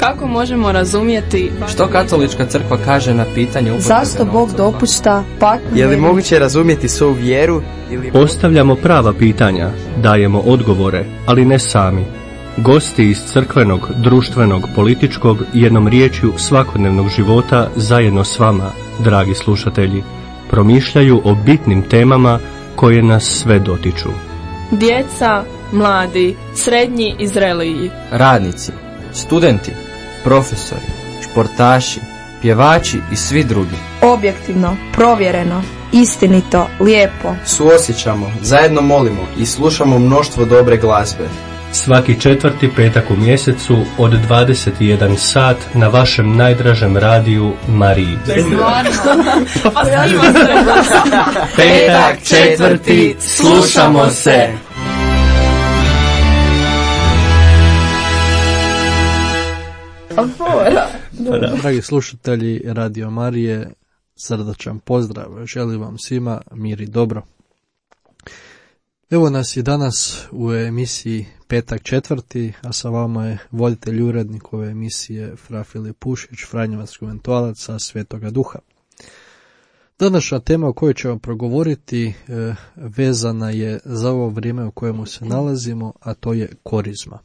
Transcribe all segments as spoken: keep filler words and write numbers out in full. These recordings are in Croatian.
Kako možemo razumjeti što katolička crkva kaže na pitanje upotrebe zašto Bog dopušta patnju? Je li moguće razumjeti svoju vjeru? Ili... Postavljamo prava pitanja, dajemo odgovore, ali ne sami. Gosti iz crkvenog, društvenog, političkog, jednom riječju svakodnevnog života zajedno s vama, dragi slušatelji, promišljaju o bitnim temama koje nas sve dotiču. Djeca, mladi, srednji i zreliji, radnici, studenti, profesori, športaši, pjevači i svi drugi. Objektivno, provjereno, istinito, lijepo. Suosjećamo, zajedno molimo i slušamo mnoštvo dobre glazbe. Svaki četvrti petak u mjesecu od dvadeset jedan sat na vašem najdražem radiju Mariji. Petak četvrti, slušamo se. Dragi slušatelji Radio Marije, srdačan pozdrav. Želim vam svima mir i dobro. Evo nas i danas u emisiji Petak četvrti, a sa vama je voditelj i urednik ove emisije Fra Filip Pušić, franjevac konventualac sa Svetoga Duha. Današnja tema o kojoj ćemo progovoriti e, vezana je za ovo vrijeme u kojemu se nalazimo, a to je korizma.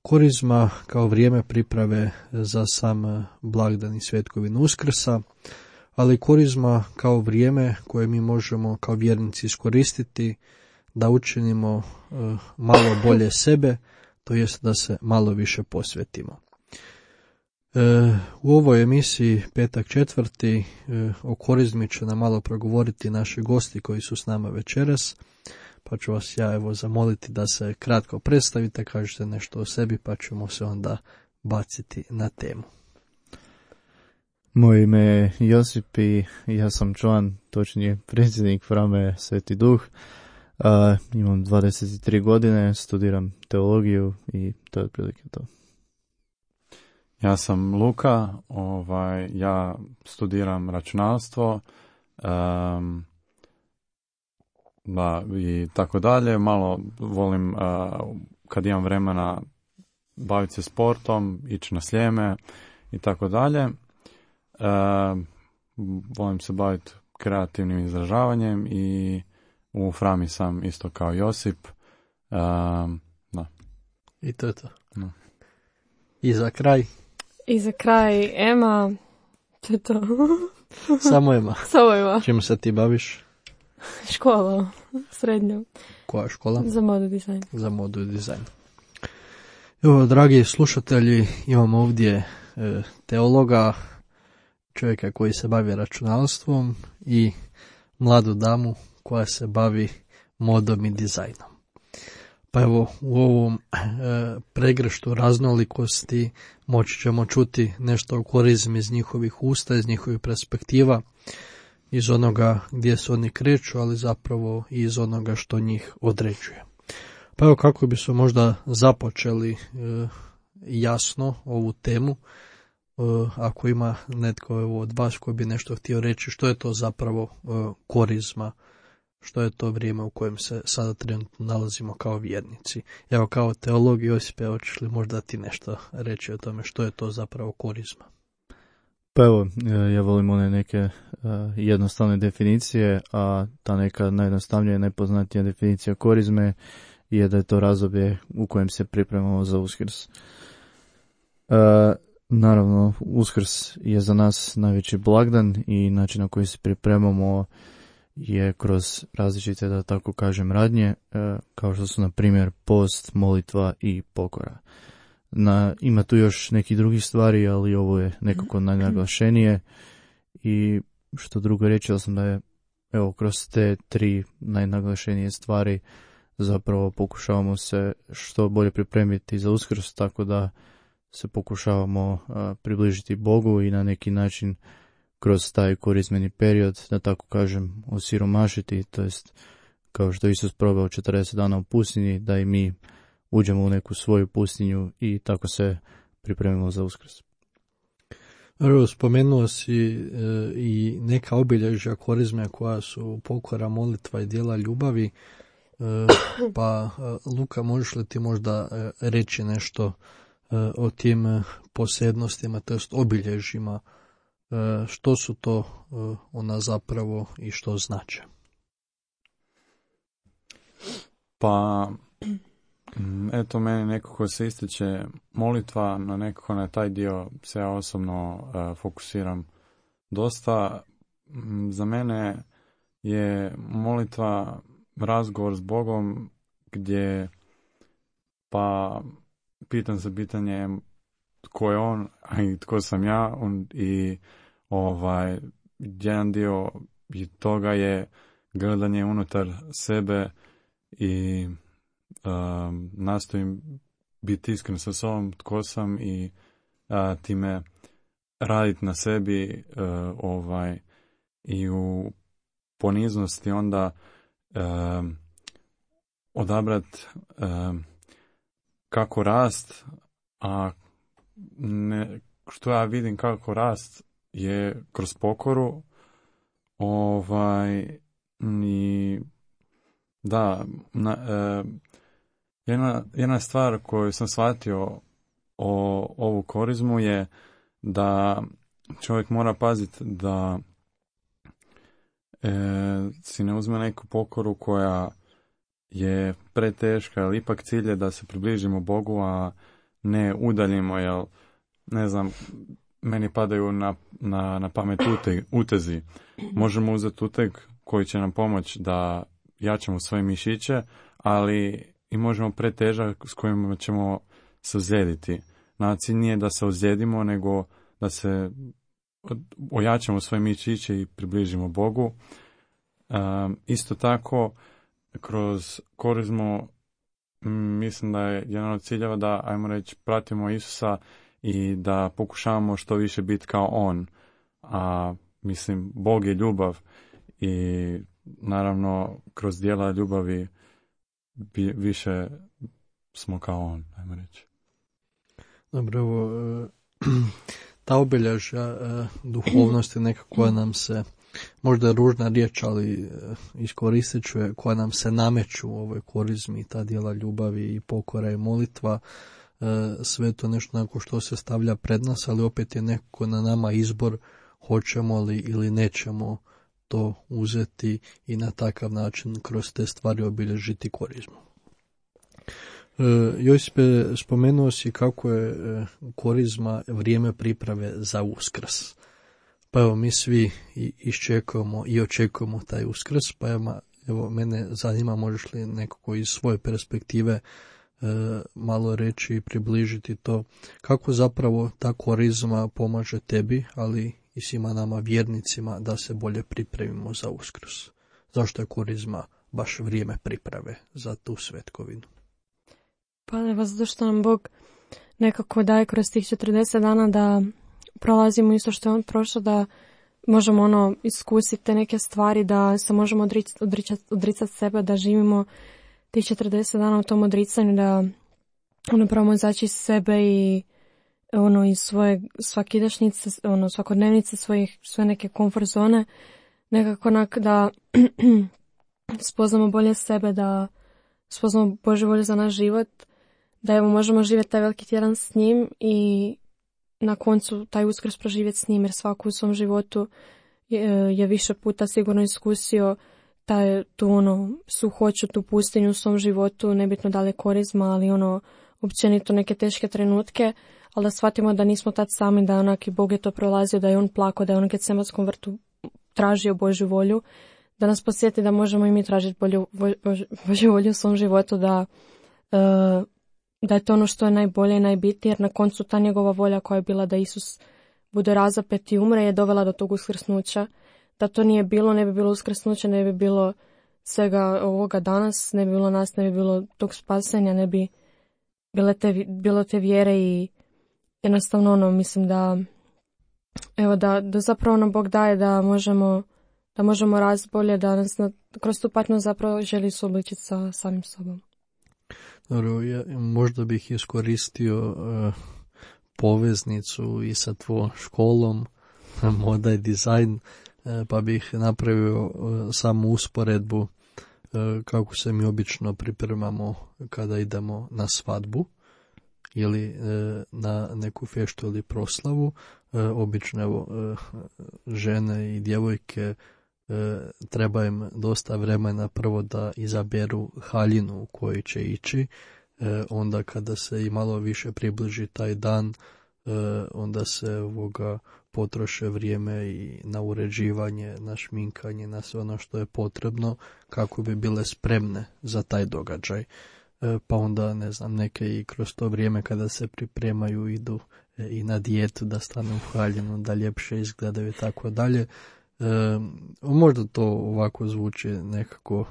Korizma kao vrijeme priprave za sam blagdan i svetkovinu Uskrsa, ali korizma kao vrijeme koje mi možemo kao vjernici iskoristiti da učinimo e, malo bolje sebe, to jest da se malo više posvetimo. E, u ovoj emisiji Petak četvrti e, o korizmi će nam malo progovoriti naši gosti koji su s nama večeras, pa ću vas ja evo zamoliti da se kratko predstavite, kažete nešto o sebi, pa ćemo se onda baciti na temu. Moje ime je Josip i ja sam član, točnije predsjednik Frame Sveti Duh. Uh, imam dvadeset tri godine, studiram teologiju i to je otprilike to. Ja sam Luka, ovaj, ja studiram računalstvo um, da, i tako dalje. Malo volim, uh, kad imam vremena, baviti se sportom, ići na Sljeme i tako dalje. Uh, volim se baviti kreativnim izražavanjem i u Frami sam isto kao Josip. Um, da. I to je to. No. I za kraj? I za kraj Ema. To je to. Samo Ema. Samo Ema. Čim se ti baviš? Škola. Srednja. Koja škola? Za modu dizajn. Za modu i dizajn. Evo, dragi slušatelji, imamo ovdje e, teologa, čovjeka koji se bavi računalstvom i mladu damu koja se bavi modom i dizajnom. Pa evo, u ovom e, pregrštu raznolikosti moći ćemo čuti nešto o korizmi iz njihovih usta, iz njihovih perspektiva, iz onoga gdje se oni kreću, ali zapravo i iz onoga što njih određuje. Pa evo, kako bi se možda započeli e, jasno ovu temu, e, ako ima netko evo, od vas koji bi nešto htio reći, što je to zapravo e, korizma, što je to vrijeme u kojem se sada trenutno nalazimo kao vjernici. Evo, kao teolog Josip, hoćeš li možda ti nešto reći o tome što je to zapravo korizma? Pa evo, ja volim one neke uh, jednostavne definicije, a ta neka najjednostavnija i najpoznatija definicija korizme je da je to razdoblje u kojem se pripremamo za Uskrs. Uh, naravno, Uskrs je za nas najveći blagdan i način na koji se pripremamo je kroz različite, da tako kažem, radnje, kao što su na primjer post, molitva i pokora. Na, ima tu još nekih drugih stvari, ali ovo je nekako najnaglašenije i što drugo reći sam da je evo kroz te tri najnaglašenije stvari zapravo pokušavamo se što bolje pripremiti za Uskrs, tako da se pokušavamo a, približiti Bogu i na neki način kroz taj korizmeni period, da tako kažem, osiromašiti, to jest kao što Isus probao četrdeset dana u pustinji, da i mi uđemo u neku svoju pustinju i tako se pripremimo za Uskrs. Evo, spomenuo si e, i neka obilježja korizme koja su pokora, molitva i djela ljubavi, e, pa Luka, možeš li ti možda reći nešto o tim posebnostima, to jest obilježjima, što su to ona zapravo i što znače. Pa, eto, meni nekako se ističe molitva, na nekako na taj dio se ja osobno uh, fokusiram dosta. Za mene je molitva razgovor s Bogom gdje pa pitam se pitanje tko je on, a i tko sam ja, on, i ovaj, jedan dio toga je gledanje unutar sebe i um, nastojim biti iskren sa sobom tko sam i uh, time raditi na sebi uh, ovaj, i u poniznosti onda uh, odabrat uh, kako rast, a ne, što ja vidim kako rast je kroz pokoru, ovaj, i da, na, e, jedna, jedna stvar koju sam shvatio o ovu korizmu je da čovjek mora paziti da e, si ne uzme neku pokoru koja je preteška, ali ipak cilj je da se približimo Bogu, a ne udaljimo, jer ne znam, meni padaju na, na, na pamet uteg, utezi. Možemo uzeti uteg koji će nam pomoći da jačamo svoje mišiće, ali i možemo pretežak s kojim ćemo se ozlijediti. Na cilj nije da se ozlijedimo, nego da se ojačamo svoje mišiće i približimo Bogu. Um, isto tako, kroz korizmu mislim da je jedan od ciljeva da, ajmo reći, pratimo Isusa i da pokušavamo što više biti kao on. A mislim, Bog je ljubav i naravno kroz djela ljubavi bi, više smo kao on, ajmo reći. Dobro, evo, ta obilježja duhovnosti nekako nam se, možda je ružna riječ, ali iskoristit ću je, koja nam se nameću u ovoj korizmi, ta djela ljubavi i pokora i molitva, sve to nešto nakon što se stavlja pred nas, ali opet je nekako na nama izbor hoćemo li ili nećemo to uzeti i na takav način kroz te stvari obilježiti korizmu. Josipe, spomenuo si kako je korizma vrijeme priprave za Uskrs. Pa evo, mi svi iščekujemo i očekujemo taj Uskrs, pa evo, evo mene zanima, možeš li nekako iz svoje perspektive e, malo reći i približiti to, kako zapravo ta korizma pomaže tebi, ali i svima nama vjernicima da se bolje pripremimo za Uskrs. Zašto je korizma baš vrijeme priprave za tu svetkovinu? Pa evo, zato što nam Bog nekako daje kroz tih četrdeset dana da prolazimo isto što je on prošao, da možemo ono iskusiti te neke stvari, da se možemo odricati odricat, odricat sebe, da živimo tih četrdeset dana u tom odricanju, da ono probamo izaći iz sebe i ono iz svoje svakidašnjice, ono svakodnevnice, svojih, sve neke komfort zone, nekako onak da spoznamo bolje sebe, da spoznamo Božju volju za naš život, da evo možemo živjeti taj veliki tjedan s njim i na koncu taj Uskrs proživjeti s njim, jer svako u svom životu je, je više puta sigurno iskusio taj, tu ono suhoću, tu pustinju u svom životu, nebitno da li je korizma, ali ono općenito neke teške trenutke, ali da shvatimo da nismo tad sami, da onak i Bog je to prolazio, da je on plakao, da je on u Getsemanskom vrtu tražio Božju volju, da nas podsjeti da možemo i mi tražiti bolju, Božju volju u svom životu, da uh, da je to ono što je najbolje i najbitnije, jer na koncu ta njegova volja koja je bila da Isus bude razapet i umre je dovela do tog uskrsnuća. Da to nije bilo, ne bi bilo uskrsnuća, ne bi bilo svega ovoga danas, ne bi bilo nas, ne bi bilo tog spasenja, ne bi bile te, bilo te vjere i jednostavno ono, mislim da evo da, da zapravo nam Bog daje da možemo da možemo rast bolje, da nas na, kroz tu patnju zapravo želi suobličiti sa samim sobom. Dobro, ja možda bih iskoristio uh, poveznicu i sa tvojom školom, moda i dizajn, uh, pa bih napravio uh, samu usporedbu uh, kako se mi obično pripremamo kada idemo na svadbu. ili e, na neku feštu ili proslavu, e, obično evo, e, žene i djevojke e, treba im dosta vremena prvo da izaberu haljinu u kojoj će ići, e, onda kada se i malo više približi taj dan, e, onda se ovoga potroše vrijeme i na uređivanje, na šminkanje, na sve ono što je potrebno kako bi bile spremne za taj događaj. Pa onda, ne znam, neke i kroz to vrijeme kada se pripremaju idu i na dijetu da stanu u haljinu, da ljepše izgledaju i tako dalje. Možda to ovako zvuči nekako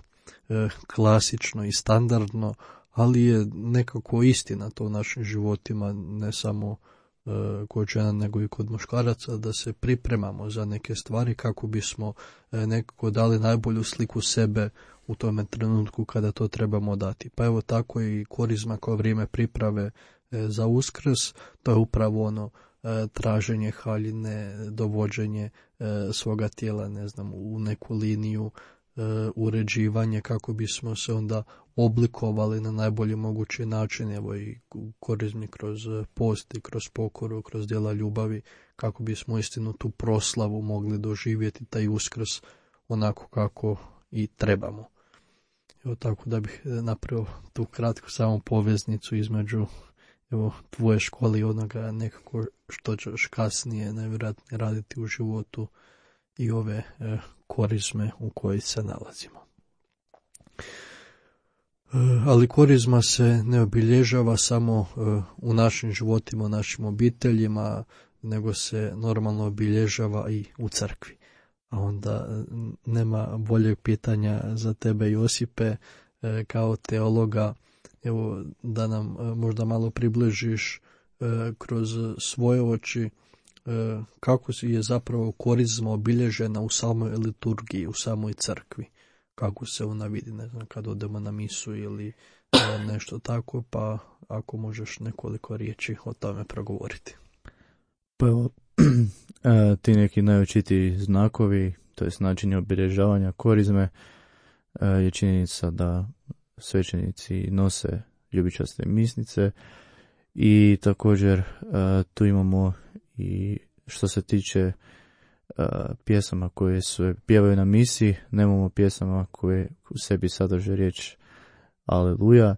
e, klasično i standardno, ali je nekako istina to u našim životima, ne samo e, kod žena nego i kod muškaraca, da se pripremamo za neke stvari kako bismo e, nekako dali najbolju sliku sebe u tome trenutku kada to trebamo dati. Pa evo tako i korizma kao vrijeme priprave e, za Uskrs, to je upravo ono e, traženje haljine, dovođenje e, svoga tijela, ne znam, u neku liniju, e, uređivanje kako bismo se onda oblikovali na najbolji mogući način, evo i korizmi kroz post i kroz pokoru, kroz djela ljubavi, kako bismo istinu tu proslavu mogli doživjeti, taj Uskrs onako kako i trebamo. Evo tako da bih napravio tu kratku samo poveznicu između evo, tvoje škole i onoga nekako što ćeš kasnije najvjerojatnije raditi u životu i ove e, korizme u kojoj se nalazimo. E, ali korizma se ne obilježava samo e, u našim životima, u našim obiteljima, nego se normalno obilježava i u crkvi. A onda nema boljeg pitanja za tebe, Josipe, kao teologa, evo da nam možda malo približiš kroz svoje oči kako je zapravo korizma obilježena u samoj liturgiji, u samoj crkvi, kako se ona vidi, ne znam, kad odemo na misu ili nešto tako, pa ako možeš nekoliko riječi o tome progovoriti. Pa evo, ti neki najočitiji znakovi, to je način obilježavanja korizme, je činjenica da svećenici nose ljubičaste misnice i također tu imamo i što se tiče pjesama koje se pjevaju na misi, nemamo pjesama koje u sebi sadrže riječ Aleluja.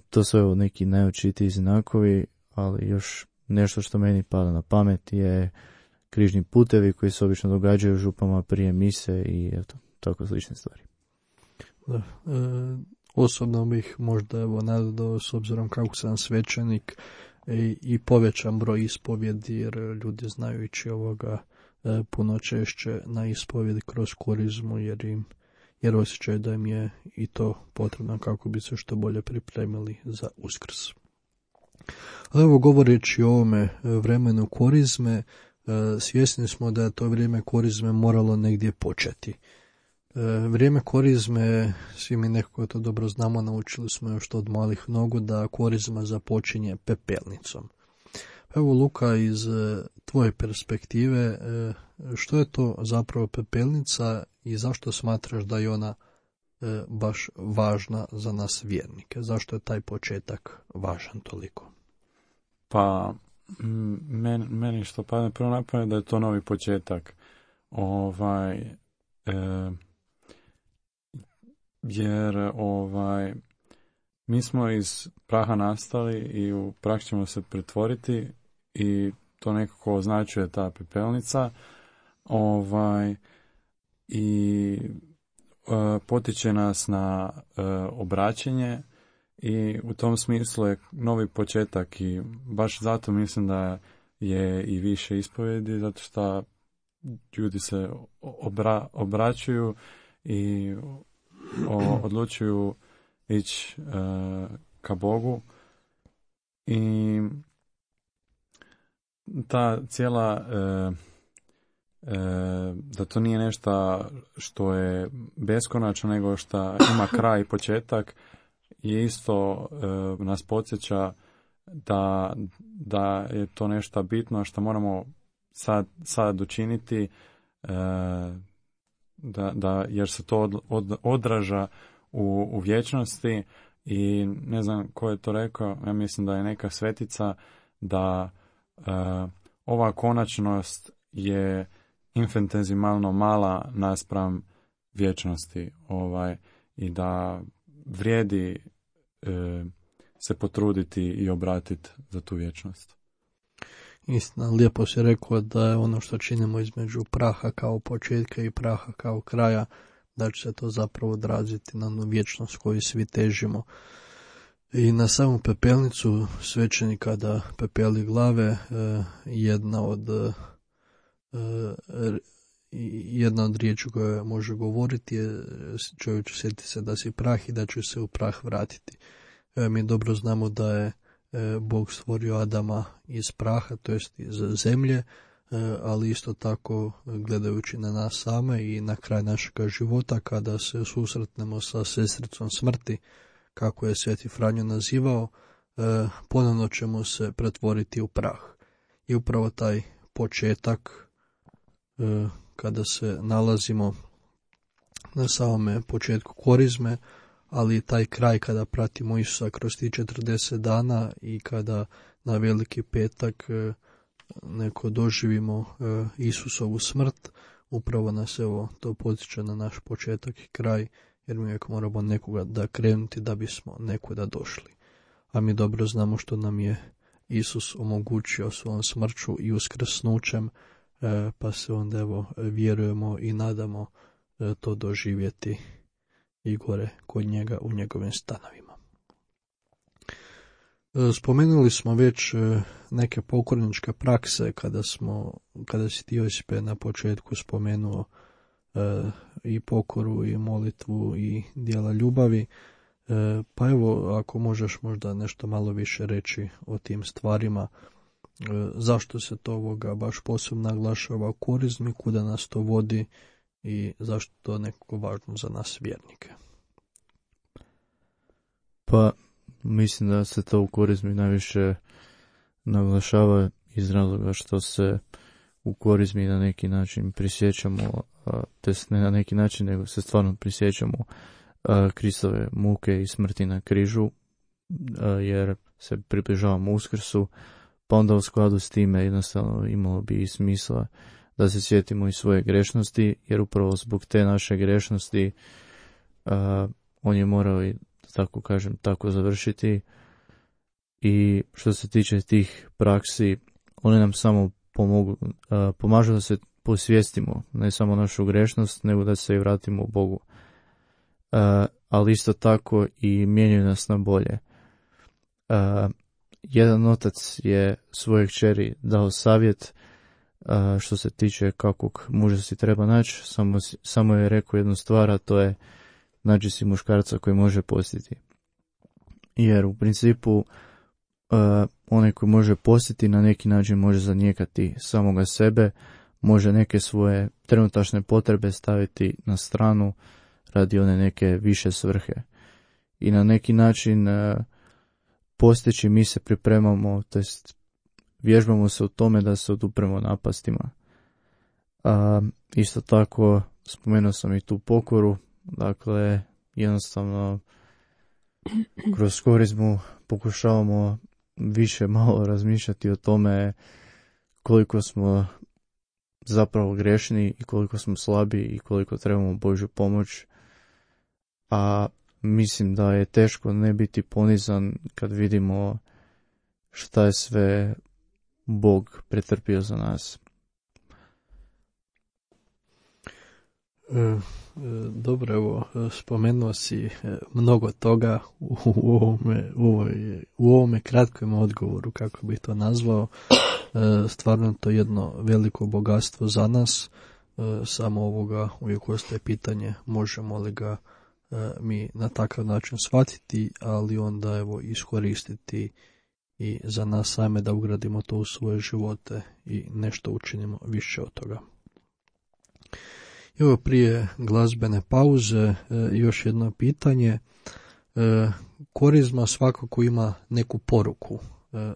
To su evo neki najočitiji znakovi, ali još nešto što meni pada na pamet je križni putevi koji se obično događaju župama prije mise i eto, tako slične stvari. Da, e, osobno bih možda evo nadodao, s obzirom kako sam svećenik, e, i povećan broj ispovjedi, jer ljudi znaju ići ovoga e, puno češće na ispovjedi kroz korizmu, jer im jer osjećaju da im je i to potrebno kako bi se što bolje pripremili za Uskrs. Ali evo, govoreći o ovome vremenu korizme, svjesni smo da je to vrijeme korizme moralo negdje početi. Vrijeme korizme, svi mi nekako to dobro znamo, naučili smo još od malih nogu da korizma započinje pepelnicom. Evo, Luka, iz tvoje perspektive, što je to zapravo pepelnica i zašto smatraš da je ona baš važna za nas vjernike? Zašto je taj početak važan toliko? Pa, meni, meni što padne prvo na pamet da je to novi početak. Ovaj, e, jer ovaj, mi smo iz praha nastali i u prah ćemo se pretvoriti i to nekako označuje ta pepelnica. Ovaj, i e, potiče nas na e, obraćenje i u tom smislu je novi početak i baš zato mislim da je i više ispovjedi, zato što ljudi se obra, obraćuju i o, odlučuju ići e, ka Bogu i ta cijela e, e, da to nije nešto što je beskonačno, nego što ima kraj i početak, je isto e, nas podsjeća da, da je to nešto bitno što moramo sad, sad učiniti, e, da, da, jer se to od, od, odraža u, u vječnosti I ne znam ko je to rekao, ja mislim da je neka svetica da uh, ova konačnost je infinitezimalno mala naspram vječnosti, ovaj, i da vrijedi uh, se potruditi i obratiti za tu vječnost. Istina, lijepo si rekao da je ono što činimo između praha kao početka i praha kao kraja, da će se to zapravo odraziti na onu vječnost koju svi težimo. I na samu pepelnicu svećenik kada pepeli glave, jedna od jedna od riječi koje može govoriti je čovječe, sjeti se da si prah i da će se u prah vratiti. Mi dobro znamo da je Bog stvorio Adama iz praha, to jest iz zemlje, ali isto tako gledajući na nas same i na kraj našega života kada se susretnemo sa sestricom smrti, kako je Sveti Franjo nazivao, ponovno ćemo se pretvoriti u prah. I upravo taj početak kada se nalazimo na samome početku korizme, ali taj kraj kada pratimo Isusa kroz tih četrdeset dana i kada na Veliki petak neko doživimo Isusovu smrt, upravo nas evo to podsjeća na naš početak i kraj, jer mi uvijek moramo nekoga da krenuti da bismo nekuda došli. A mi dobro znamo što nam je Isus omogućio svojom smrću i uskrsnućem, pa se onda evo vjerujemo i nadamo to doživjeti i gore kod njega u njegovim stanovima. Spomenuli smo već neke pokorničke prakse kada smo, kada si ti Josipe na početku spomenuo i pokoru i molitvu i djela ljubavi, pa evo ako možeš možda nešto malo više reći o tim stvarima, zašto se to ovoga baš posebno naglašava u korizmi, kuda nas to vodi i zašto to je nekako važno za nas vjernike? Pa mislim da se to u korizmi najviše naglašava iz razloga što se u korizmi na neki način prisjećamo, to jest ne na neki način, nego se stvarno prisjećamo Kristove muke i smrti na križu, jer se približavamo Uskrsu, pa onda u skladu s time jednostavno imalo bi i smisla da se sjetimo i svoje grešnosti, jer upravo zbog te naše grešnosti uh, on je morao i, tako kažem, tako završiti. I što se tiče tih praksi, one nam samo pomogu, uh, pomažu da se posvijestimo, ne samo našu grešnost, nego da se i vratimo u Bogu. Uh, ali isto tako i mijenjaju nas na bolje. Uh, jedan otac je svojoj kćeri dao savjet uh, što se tiče kakvog muža si treba naći, samo, samo je rekao jednu stvar, a to je nađi si muškarca koji može postiti. Jer u principu uh, onaj koji može postiti na neki način može zanijekati samoga sebe, može neke svoje trenutačne potrebe staviti na stranu radi one neke više svrhe. I na neki način uh, postići mi se pripremamo, to jest vježbamo se u tome da se odupremo napastima. A, isto tako spomenuo sam i tu pokoru, dakle jednostavno kroz korizmu pokušavamo više malo razmišljati o tome koliko smo zapravo grešni i koliko smo slabi i koliko trebamo Božju pomoć. A mislim da je teško ne biti ponizan kad vidimo šta je sve Bog pretrpio za nas. E, dobro, evo, spomenuo si mnogo toga u ovome, u ovome, u ovome kratkom odgovoru, kako bih to nazvao. E, stvarno to je jedno veliko bogatstvo za nas. E, samo ovoga uvijek ostaje pitanje možemo li ga mi na takav način shvatiti, ali onda evo iskoristiti i za nas same da ugradimo to u svoje živote i nešto učinimo više od toga. Evo prije glazbene pauze još jedno pitanje. Korizma svakako ima neku poruku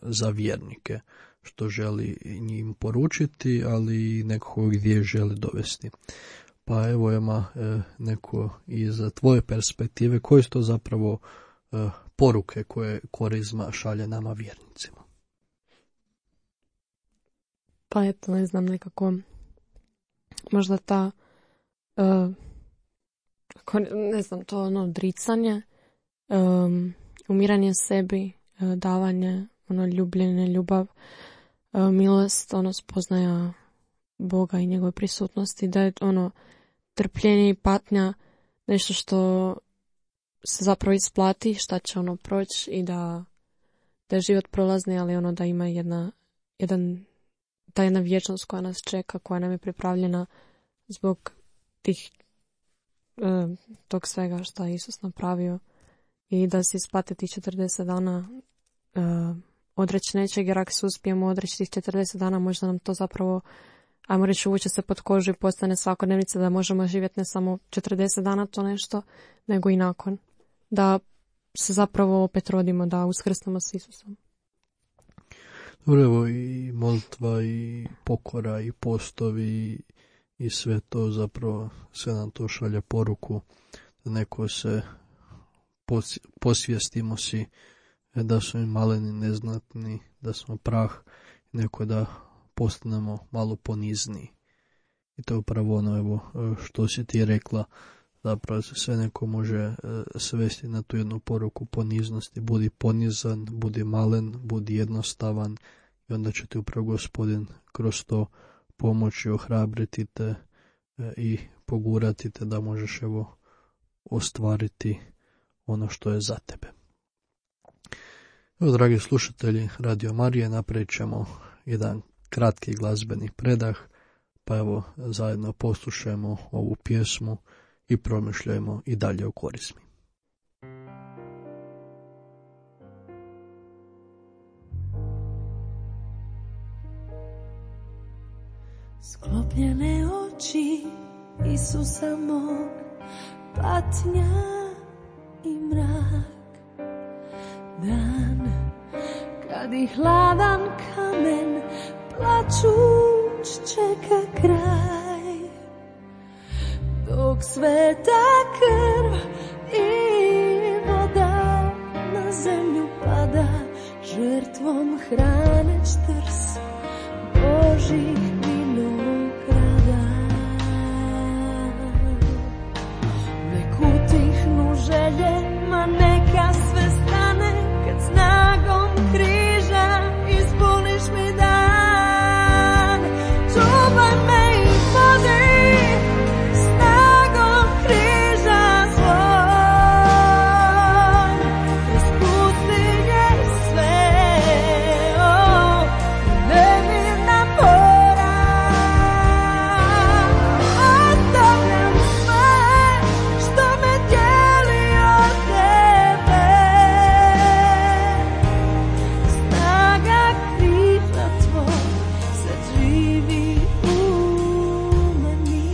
za vjernike, što želi njim poručiti, ali i nekako gdje želi dovesti. Pa evo ima e, neko iz tvoje perspektive, koje su to zapravo e, poruke koje korizma šalje nama vjernicima? Pa eto, ne znam, nekako možda ta uh, ne znam, to ono odricanje, um, umiranje sebi, uh, davanje, ono ljubljenje, ljubav, uh, milost, ono spoznaja Boga i njegove prisutnosti, da je ono trpljenje i patnja nešto što se zapravo isplati, šta će ono proći i da, da je život prolazni, ali ono da ima jedna, jedan, ta jedna vječnost koja nas čeka, koja nam je pripravljena zbog tih, uh, tog svega što je Isus napravio i da se isplate tih četrdeset dana uh, odreći nečeg, jer ako se uspijemo odreći tih četrdeset dana, možda nam to zapravo, ajmo reći, uvuče se pod kožu i postane svakodnevnica da možemo živjeti ne samo četrdeset dana to nešto, nego i nakon. Da se zapravo opet rodimo, da uskrsnemo s Isusom. Dobro, evo i molitva i pokora i postovi i sve to zapravo, sve nam to šalje poruku da neko se posvijestimo si da smo maleni, neznatni, da smo prah, neko da postanemo malo ponizniji. I to je upravo ono, evo, što si ti rekla, zapravo se sve neko može svesti na tu jednu poruku poniznosti. Budi ponizan, budi malen, budi jednostavan i onda će ti upravo Gospodin kroz to pomoći, ohrabriti te i pogurati te da možeš evo ostvariti ono što je za tebe. Evo, dragi slušatelji Radio Marije, napravit ćemo jedan kratki glazbeni predah, pa evo zajedno poslušajmo ovu pjesmu i promišljajmo i dalje o korizmi. Sklopljene oči Isusa mog, patnja i mrak, dan kad i hladan kamen plačuć čeka kraj, dok sveta krv i voda na zemlju pada, žrtvom hraneć trs Božih vinograda. Nek utihnu želje, ma neka sve stane, kad snagom križa ispuniš mi dan. Čuvaj me i vodi snagom križa svoj, kroz pustinje sve, o, nemirna mora. Ostavljam sve što me dijeli od tebe, snaga križa tvoj sad živi u meni.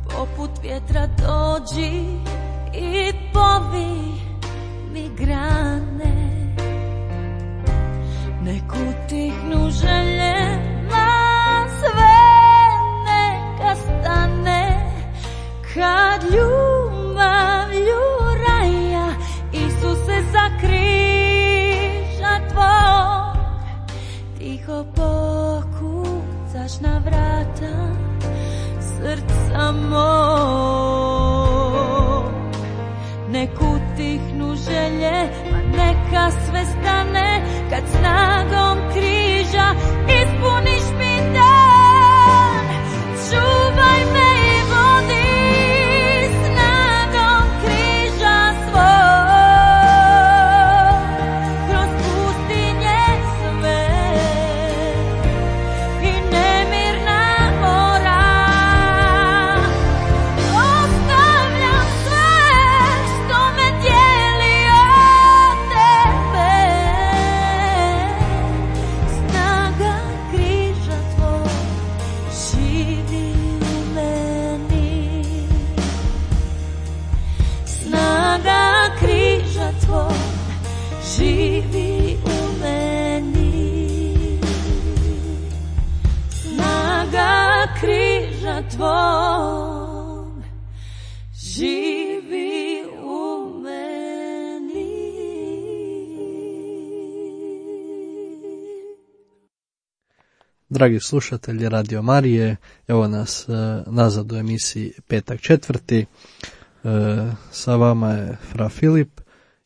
Poput vjetra dođi i povi mi grane, nek utihnu želje, ma sve neka stane, kad ljubavlju raja Isuse za križa tvog tiho pokucaš na vrata srca mog. Nek utihnu želje, pa neka sve stane, kad snagom križa ispuniš mi dan. Čuvaj me i vodi snagom križa svoj, kroz pustinje sve i nemirna mora. Ostavljam sve što me dijeli od tebe, tvom živi u meni. Dragi slušatelji Radio Marije, evo nas e, nazad u emisiji Petak četvrti. E, sa vama je Fra Filip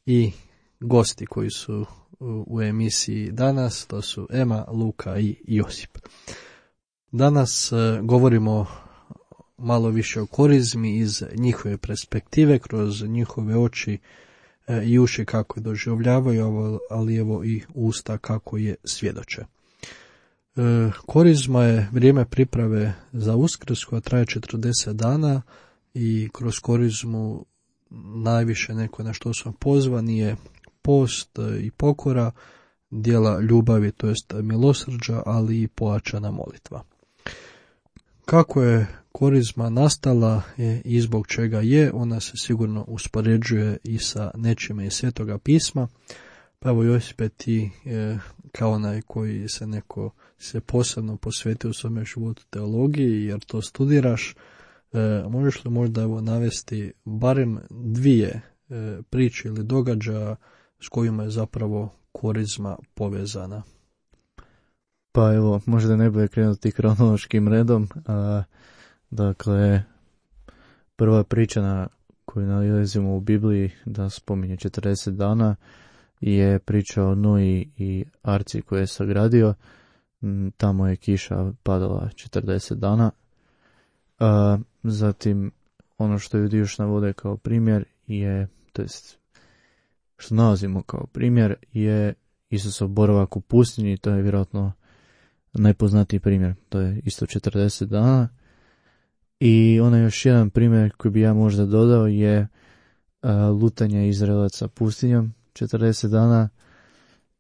i gosti koji su u, u emisiji danas, to su Ema, Luka i Josip. Danas e, govorimo malo više o korizmi iz njihove perspektive, kroz njihove oči e, i uši kako je doživljavaju, ali evo i usta kako je svjedoče. E, korizma je vrijeme priprave za Uskrs koja traje četrdeset dana i kroz korizmu najviše neko na što smo pozvani je post i pokora, djela ljubavi, to jest milosrđa, ali i pojačana molitva. Kako je korizma nastala i zbog čega je, ona se sigurno uspoređuje i sa nečime iz Svetoga pisma. Pa evo Josipe, ti e, kao onaj koji se neko se posebno posvetio u svome životu teologiji, jer to studiraš, e, možeš li možda evo navesti barem dvije e, priče ili događaja s kojima je zapravo korizma povezana? Pa evo, možda ne bude krenuti kronološkim redom. A, dakle, prva priča na koju nalazimo u Bibliji da spominje četrdeset dana je priča o Noji i arci koju je sagradio. Tamo je kiša padala četrdeset dana. A, zatim, ono što Judi još navode kao primjer je, to jest, što nalazimo kao primjer je Isusov boravak u pustinji, to je vjerojatno najpoznatiji primjer, to je isto četrdeset dana. I onaj još jedan primjer koji bi ja možda dodao je a, lutanje Izraelaca pustinjom četrdeset dana,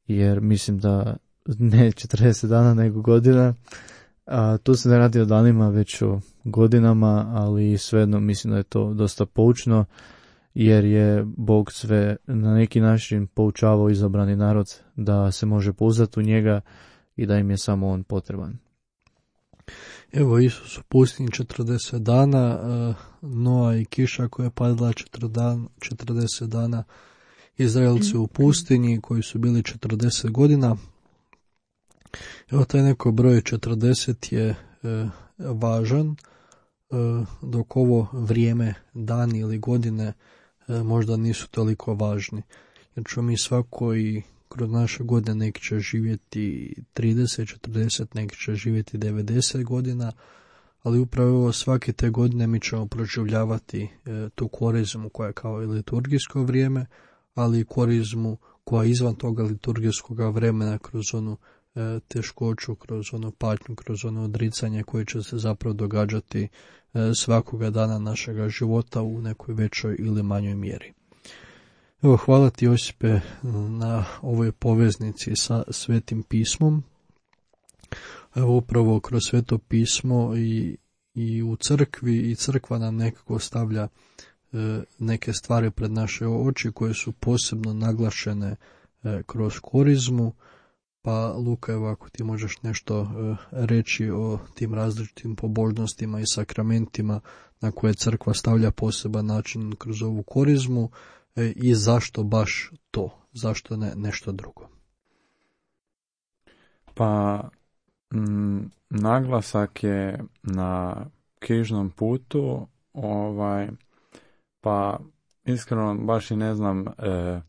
jer mislim da ne četrdeset dana nego godina, a, tu se ne radi o danima već o godinama, ali svejedno mislim da je to dosta poučno, jer je Bog sve na neki način poučavao izabrani narod da se može pouzdati u njega i da im je samo on potreban. Evo Isus u pustinji četrdeset dana, Noa i kiša koja je padala četrdeset dana, Izraelci u pustinji koji su bili četrdeset godina. Evo taj neko broj četrdeset je e, važan, e, dok ovo vrijeme, dani ili godine e, možda nisu toliko važni. Jer ćemo mi svako i kroz naše godine neki će živjeti trideset, četrdeset, neki će živjeti devedeset godina, ali upravo svake te godine mi ćemo proživljavati e, tu korizmu koja je kao i liturgijsko vrijeme, ali i korizmu koja je izvan toga liturgijskog vremena kroz onu e, teškoću, kroz onu patnju, kroz ono odricanje koje će se zapravo događati e, svakoga dana našega života u nekoj većoj ili manjoj mjeri. Evo, hvala ti Josipe na ovoj poveznici sa Svetim pismom. Evo upravo kroz Sveto pismo i, i u crkvi i crkva nam nekako stavlja e, neke stvari pred naše oči koje su posebno naglašene e, kroz korizmu. Pa Luka, evo ako ti možeš nešto e, reći o tim različitim pobožnostima i sakramentima na koje crkva stavlja poseban način kroz ovu korizmu, i zašto baš to, zašto ne nešto drugo? Pa m, naglasak je na križnom putu, ovaj, pa iskreno baš i ne znam e,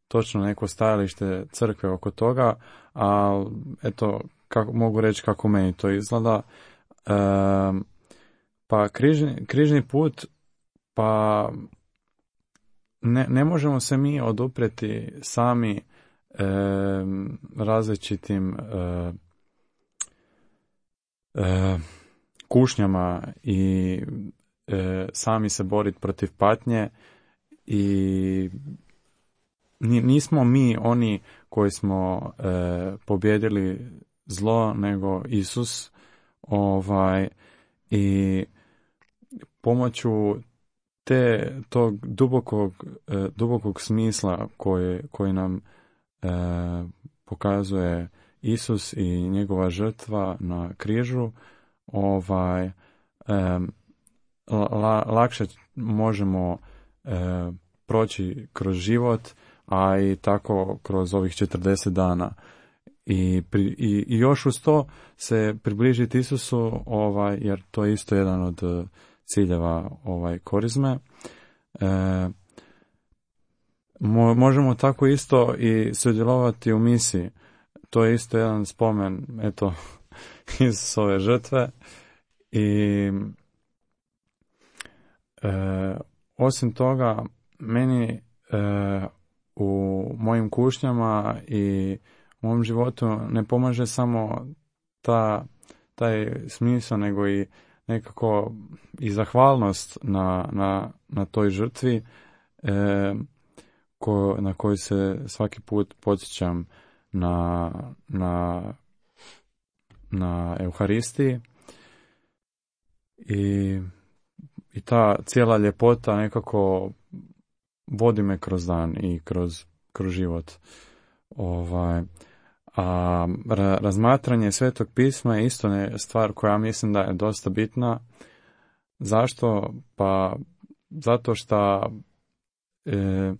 točno neko stajalište crkve oko toga, a eto kako, mogu reći kako meni to izgleda. E, pa križni, križni put, pa Ne, ne možemo se mi oduprijeti sami e, različitim e, e, kušnjama i e, sami se boriti protiv patnje i nismo mi oni koji smo e, pobjedili zlo, nego Isus, ovaj, i pomoću te tog dubokog, e, dubokog smisla koje, koji nam e, pokazuje Isus i njegova žrtva na križu, ovaj, e, la, lakše možemo e, proći kroz život, a i tako kroz ovih četrdeset dana. I, pri, i, i još uz to se približiti Isusu, ovaj, jer to je isto jedan od ciljeva ovaj, korizme. E, mo, možemo tako isto i sudjelovati u misiji. To je isto jedan spomen, eto, Isusove žrtve. I e, osim toga, meni e, u mojim kušnjama i u mom životu ne pomaže samo ta, taj smisao, nego i nekako i zahvalnost na, na, na toj žrtvi e, ko, na koju se svaki put podsjećam na, na, na Euharistiji. I, i ta cijela ljepota nekako vodi me kroz dan i kroz, kroz život. Ovaj, a ra, razmatranje Svetog pisma je isto ne, stvar koja mislim da je dosta bitna. Zašto? Pa zato što e,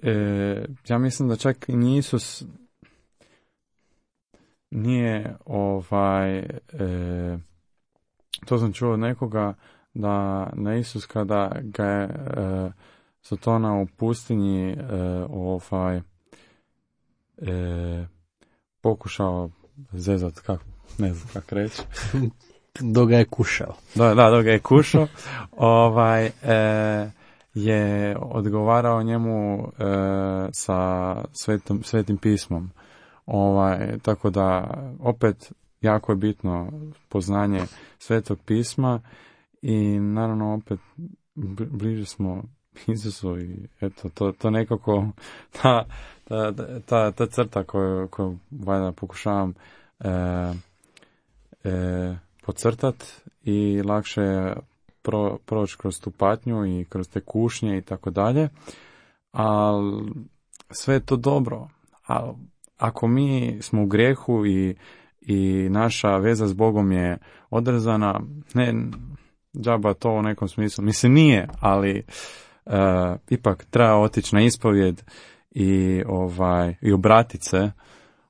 e, ja mislim da čak i Isus nije ovaj e, to sam čuo od nekoga da na Isus kada ga je e, Sotona u pustinji e, ovaj e, pokušao zezat, kako, ne znam kako reći. Dok ga je kušao. Da, da, dok ga je kušao. ovaj, e, je odgovarao njemu e, sa svetom, svetim pismom. Ovaj, tako da, opet, jako je bitno poznanje Svetog pisma i naravno opet bliže smo Isusu i eto, to, to nekako ta, ta, ta, ta crta koju, koju valjda pokušavam e, e, podcrtat i lakše pro, proći kroz tu patnju i kroz te kušnje i tako dalje, ali sve je to dobro, ali ako mi smo u grijehu i i naša veza s Bogom je odrezana, ne, džaba to u nekom smislu, mislim nije, ali uh, ipak treba otići na ispovjed i, ovaj, i obratiti se.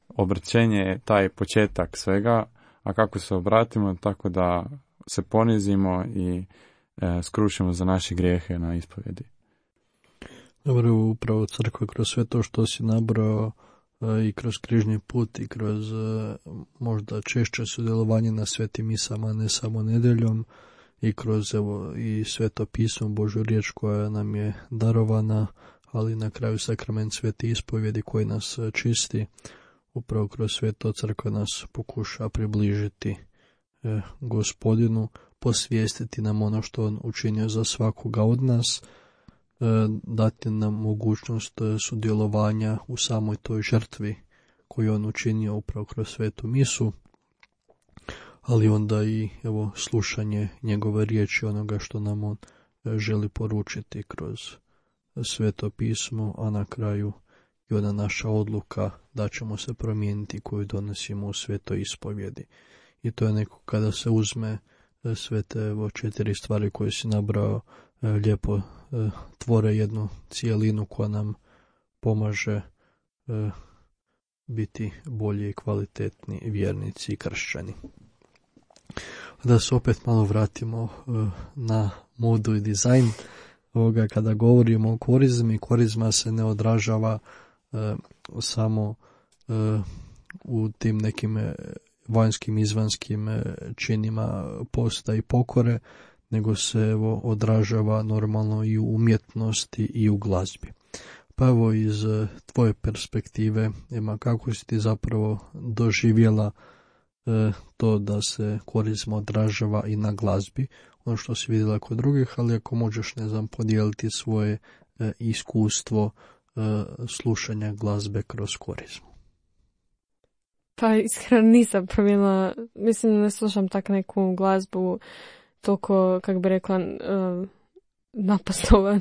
Obraćenje je taj početak svega, a kako se obratimo, tako da se ponizimo i uh, skrušimo za naše grijehe na ispovjedi. Dobro, upravo crkva kroz sve to što si nabrao i kroz križni put i kroz možda češće sudjelovanje na svetim misama, ne samo nedeljom, i kroz evo i Sveto pismo, Božju riječ koja nam je darovana, ali na kraju sakrament svete ispovjedi koji nas čisti. Upravo kroz sve to crkva nas pokuša približiti eh, Gospodinu, posvijestiti nam ono što on učinio za svakoga od nas, dati nam mogućnost sudjelovanja u samoj toj žrtvi koju on učinio upravo kroz svetu misu, ali onda i evo slušanje njegove riječi, onoga što nam on želi poručiti kroz Sveto pismo, a na kraju i ona naša odluka da ćemo se promijeniti koju donosimo u svetoj ispovjedi. I to je neko kada se uzme sve te evo četiri stvari koje si nabrao, lijepo tvore jednu cijelinu koja nam pomaže biti bolji i kvalitetni vjernici i kršćani. Da se opet malo vratimo na modu i dizajn ovoga, kada govorimo o korizmi, korizma se ne odražava samo u tim nekim vanjskim izvanskim činima posta i pokore, nego se evo odražava normalno i u umjetnosti i u glazbi. Pa evo iz tvoje perspektive, Ema, kako si ti zapravo doživjela e, to da se korizma odražava i na glazbi, ono što si vidjela kod drugih, ali ako možeš, ne znam, podijeliti svoje e, iskustvo e, slušanja glazbe kroz korizmu. Pa iskreno nisam promijenila, mislim ne slušam tak neku glazbu toliko, kako bi rekla, uh, napastovanu.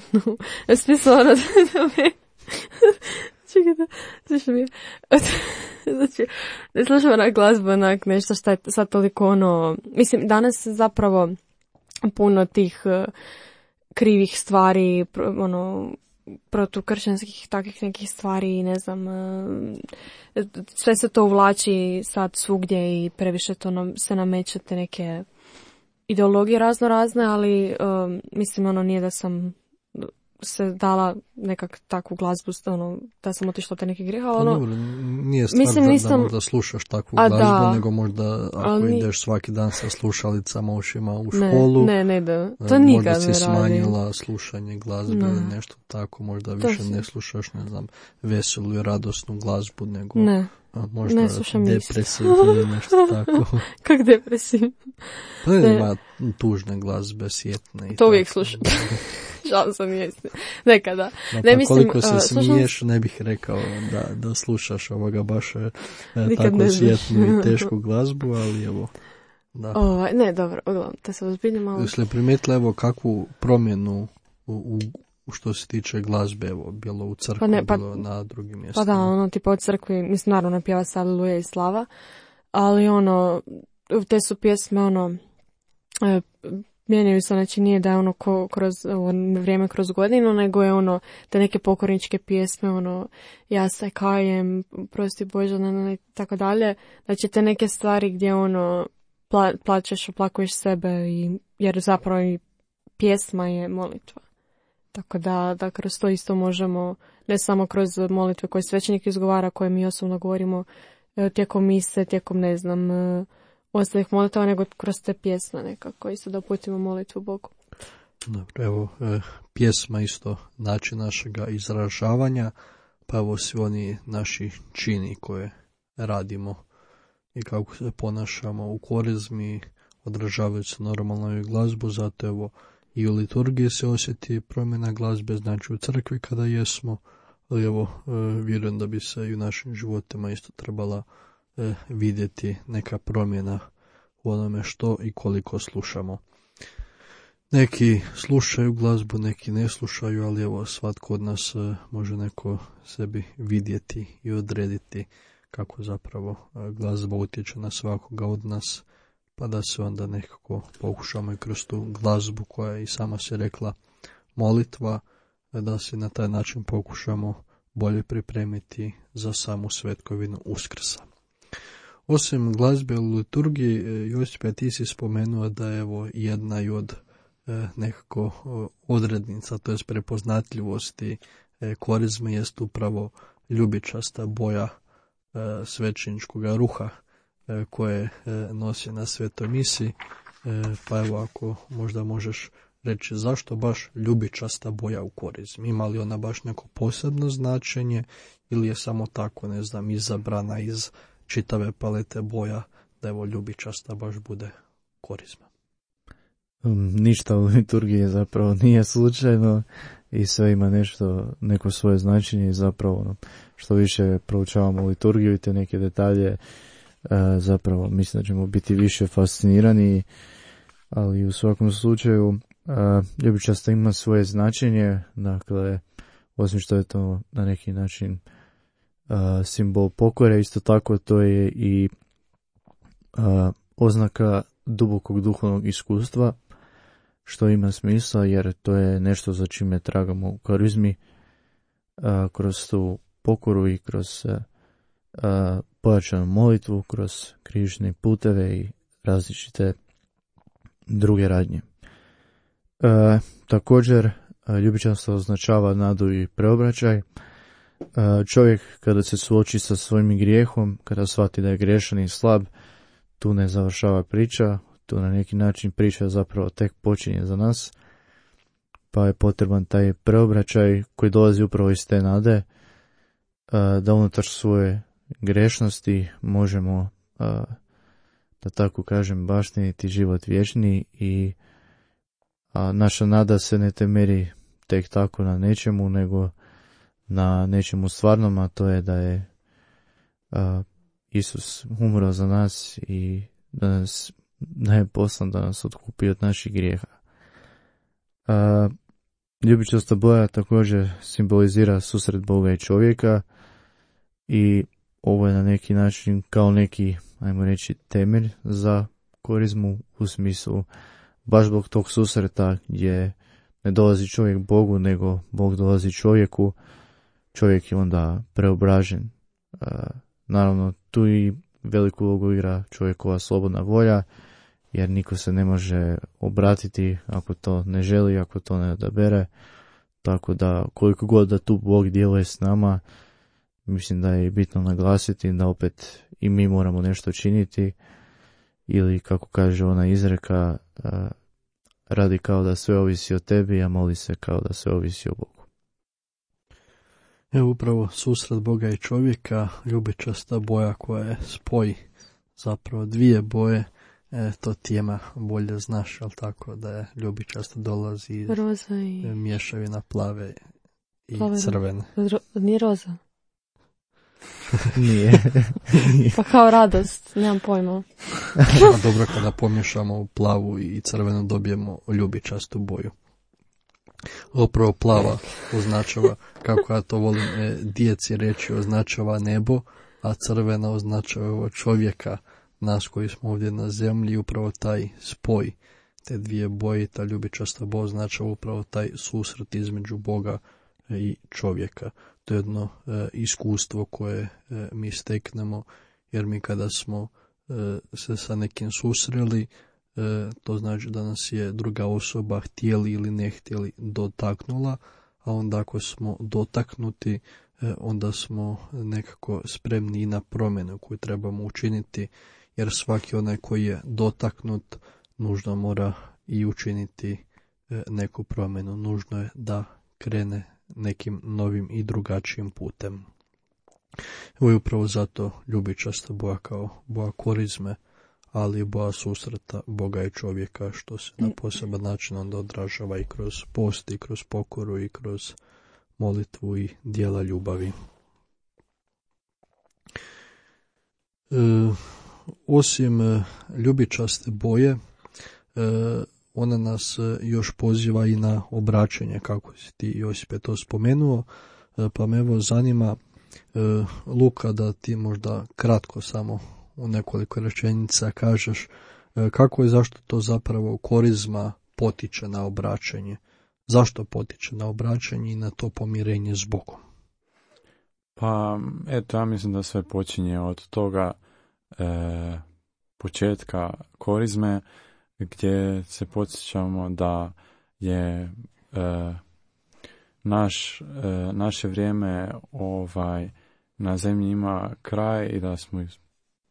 Smisla ono da me Čekajte, slušaj mi. Znači, ne slušam onak glazbu, onak nešto što je sad toliko ono... Mislim, danas zapravo puno tih uh, krivih stvari, pro, ono, protukršćanskih takvih nekih stvari, ne znam, uh, sve se to uvlači sad svugdje i previše to nam, se namećete neke ideologije razno razne, ali um, mislim ono nije da sam se dala nekak takvu glazbu, ono, da sam otišla te neke grijeha, ali ono... Dobro, nije stvar mislim, da, nisam... da možda slušaš takvu A, glazbu, da. nego možda ako Ali... ideš svaki dan sa slušalicama ušima u ne, školu, ne, ne, da. To nikad možda si ne radim. smanjila slušanje glazbe Ne. ili nešto tako, možda To više si- ne slušaš, ne znam, veselu i radosnu glazbu, nego Ne, a, možda ne slušam ništa. depresivnu ili nešto tako. Kak depresivno? Pa ne, Ne. ima tužne glazbe, sjetne i To uvijek tako. slušam. Žal sam jesti. Nekada. No, Ne, pa mislim, koliko se uh, slušam- smiješ, ne bih rekao da, da slušaš ovoga baš e, Nikad tako ne znaš. sjetnu i tešku glazbu, ali evo, da. Ovaj, ne, dobro, uglavnom, te se ozbiljno malo... Jesi li primijetila evo kakvu promjenu u, u, u što se tiče glazbe, evo, bilo u crkvi, Pa ne, pa- bilo na drugim Pa mjestima? da, ono, tipa od crkvi, mislim, naravno ne pjeva se Aleluja i Slava, ali ono, te su pjesme, ono, e, mijenjaju se, znači nije da je ono ko, kroz ovo vrijeme kroz godinu, nego je ono, te neke pokorničke pjesme, ono, ja se kajem, prosti Bože, ne, ne, ne, tako dalje, znači te neke stvari gdje ono, pla, plačeš, oplakuješ sebe, i, jer zapravo i pjesma je molitva. Tako da, da kroz to isto možemo, ne samo kroz molitve koje svećenik izgovara, koje mi osobno govorimo e, tijekom mise, tijekom, ne znam, e, ostalih molitava, nego kroz te pjesme nekako, isto da uputimo molitvu Bogu. Dobro, evo, e, pjesma isto način našega izražavanja, pa evo svi oni naši čini koje radimo i kako se ponašamo u korizmi, odražavajući normalno i glazbu, zato evo i u liturgiji se osjeti promjena glazbe, znači u crkvi kada jesmo, ali evo, e, vjerujem da bi se i u našim životima isto trebala e, vidjeti neka promjena u onome što i koliko slušamo. Neki slušaju glazbu, neki ne slušaju, ali evo svatko od nas e, može neko sebi vidjeti i odrediti kako zapravo e, glazba utječe na svakoga od nas, pa da se onda nekako pokušamo i kroz tu glazbu koja je i sama se rekla molitva, da se na taj način pokušamo bolje pripremiti za samu svetkovinu Uskrsa. Osim glazbe u liturgiji, Josipe, ti si spomenuo da je evo jedna i od e, nekako e, odrednica, to jest prepoznatljivosti e, korizme jest upravo ljubičasta boja e, svećeničkog ruha e, koje e, nosi na svetoj misi, e, pa evo ako možda možeš reći zašto baš ljubičasta boja u korizmi, ima li ona baš neko posebno značenje ili je samo tako, ne znam, izabrana iz čitave palete boja da evo ljubičasta baš bude korizma. Um, ništa u liturgiji zapravo nije slučajno i sve ima nešto, neko svoje značenje i zapravo ono, što više proučavamo liturgiju i te neke detalje, uh, zapravo mislim da ćemo biti više fascinirani, ali u svakom slučaju uh, ljubičasta ima svoje značenje, dakle osim što je to na neki način uh, simbol pokore, isto tako to je i uh, oznaka dubokog duhovnog iskustva, što ima smisla jer to je nešto za čime tragamo u karizmi, uh, kroz tu pokoru i kroz uh, uh, pojačanu molitvu, kroz križne puteve i različite druge radnje. Uh, također uh, ljubičanstvo označava nadu i preobraćaj. Uh, čovjek kada se suoči sa svojim grijehom, kada shvati da je griješan i slab, tu ne završava priča, tu na neki način priča zapravo tek počinje za nas, pa je potreban taj preobraćaj koji dolazi upravo iz te nade, da unutar svoje grešnosti možemo, da tako kažem, baštiniti život vječni i naša nada se ne temelji tek tako na nečemu, nego na nečemu stvarnom, a to je da je Isus umro za nas i da nas da je poslan da nas otkupi od naših grijeha. A, ljubičasta boja također simbolizira susret Boga i čovjeka, i ovo je na neki način kao neki, ajmo reći, temelj za korizmu u smislu baš zbog tog susreta gdje ne dolazi čovjek Bogu, nego Bog dolazi čovjeku, čovjek je onda preobražen. E, naravno, tu i veliku ulogu igra čovjekova slobodna volja, jer niko se ne može obratiti ako to ne želi, ako to ne odabere. Tako da koliko god da tu Bog djeluje s nama, mislim da je bitno naglasiti da opet i mi moramo nešto činiti, ili kako kaže ona izreka, radi kao da sve ovisi o tebi, a moli se kao da sve ovisi o Bogu. Evo upravo susret Boga i čovjeka, ljubičasta boja koja je spoj zapravo dvije boje, e, to tijema bolje znaš, ali tako da je ljubičasta dolazi iz roza i mješavina plave i plave, crvene. Ro, nije roza? Nije. Pa kao radost, nemam pojma. A dobro, kada pomiješamo u plavu i crvenu dobijemo ljubičastu boju. Upravo plava označava, kako ja to volim e, djeci reći, označava nebo, a crvena označava čovjeka, nas koji smo ovdje na zemlji. Upravo taj spoj te dvije boje, ta ljubičasta boja označava upravo taj susret između Boga i čovjeka. To je jedno e, iskustvo koje e, mi steknemo, jer mi kada smo e, se sa nekim susreli, e, to znači da nas je druga osoba htjeli ili ne htjeli dotaknula, a onda ako smo dotaknuti, e, onda smo nekako spremni i na promjenu koju trebamo učiniti, jer svaki onaj koji je dotaknut nužno mora i učiniti e, neku promjenu, nužno je da krene nekim novim i drugačijim putem. Ovo je upravo zato ljubičasta boja kao boja korizme, ali i boja susreta Boga i čovjeka, što se na poseban način onda odražava i kroz post, i kroz pokoru, i kroz molitvu i djela ljubavi. E, osim e, ljubičaste boje, e, ona nas još poziva i na obraćanje, kako si ti, Josipe, to spomenuo, pa me evo zanima, Luka, da ti možda kratko samo u nekoliko rečenica kažeš kako i zašto to zapravo korizma potiče na obraćanje. Zašto potiče na obraćanje i na to pomirenje s Bogom? Pa, eto, ja mislim da sve počinje od toga e, početka korizme, gdje se podsjećamo da je e, naš, e, naše vrijeme ovaj, na zemlji ima kraj i da smo iz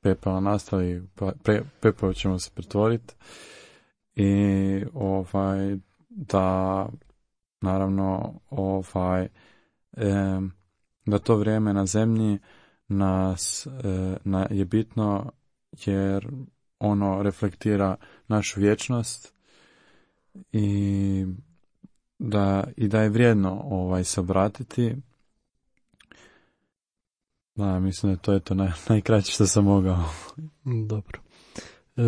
pepela nastali, pre, pepeo ćemo se pretvoriti i ovaj, da naravno ovaj, e, da to vrijeme na zemlji nas e, na, je bitno jer ono reflektira našu vječnost i da, i da je vrijedno ovaj, se obratiti. Da, mislim da to je to naj, najkraće što sam mogao. Dobro. E,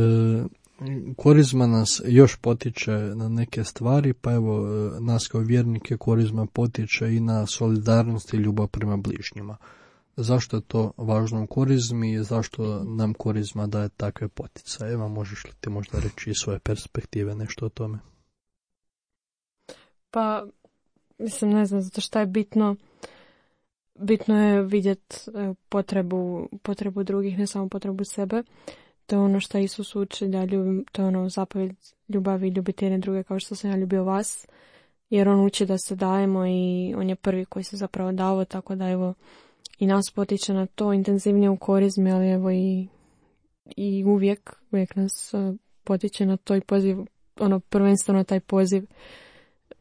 korizma nas još potiče na neke stvari, pa evo nas kao vjernike korizma potiče i na solidarnost i ljubav prema bližnjima. Zašto je to važno u korizmi i zašto nam korizma daje takve poticaje? Evo, možeš li ti možda reći iz svoje perspektive nešto o tome? Pa, mislim, ne znam, zato što je bitno, bitno je vidjeti potrebu, potrebu drugih, ne samo potrebu sebe. To je ono što Isus uči, da ljubim, to je ono zapovjed ljubavi, ljubiti jedne druge kao što sam ja ljubio vas. Jer on uči da se dajemo i on je prvi koji se zapravo dao, tako da evo, i nas potiče na to intenzivnije u korizmi, ali evo i, i uvijek, uvijek nas uh, potiče na to i poziv, ono prvenstveno taj poziv,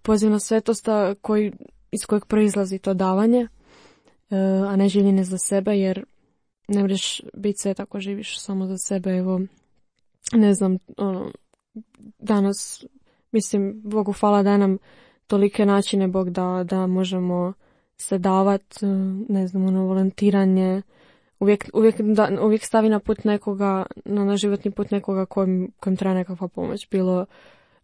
poziv na svetost koji, iz kojeg proizlazi to davanje, uh, a ne življenje za sebe, jer ne možeš biti svet ako živiš samo za sebe. Evo, ne znam, ono, danas, mislim, Bogu hvala da nam tolike načine Bog da, da možemo se davat, ne znam, ono, volontiranje, uvijek, uvijek, da, uvijek stavi na put nekoga, na, na životni put nekoga kojem, kojem treba nekakva pomoć, bilo,